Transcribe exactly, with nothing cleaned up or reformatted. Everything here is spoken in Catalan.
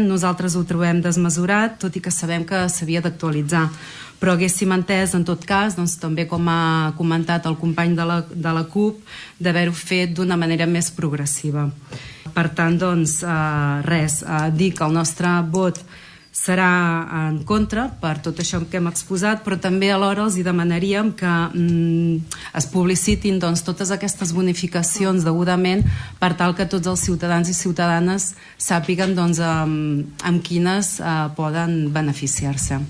Nosaltres ho trobem desmesurat, tot i que sabem que s'havia d'actualitzar. Però haguéssim entès, en tot cas, doncs, també com ha comentat el company de la, de la CUP, d'haver-ho fet d'una manera més progressiva. Per tant, doncs, eh, res, eh, dir que el nostre vot serà en contra per tot això que hem exposat, però també alhora els hi demanaríem que mm, es publicitin doncs, totes aquestes bonificacions degudament per tal que tots els ciutadans i ciutadanes sàpiguen doncs, amb, amb quines eh, poden beneficiar-se.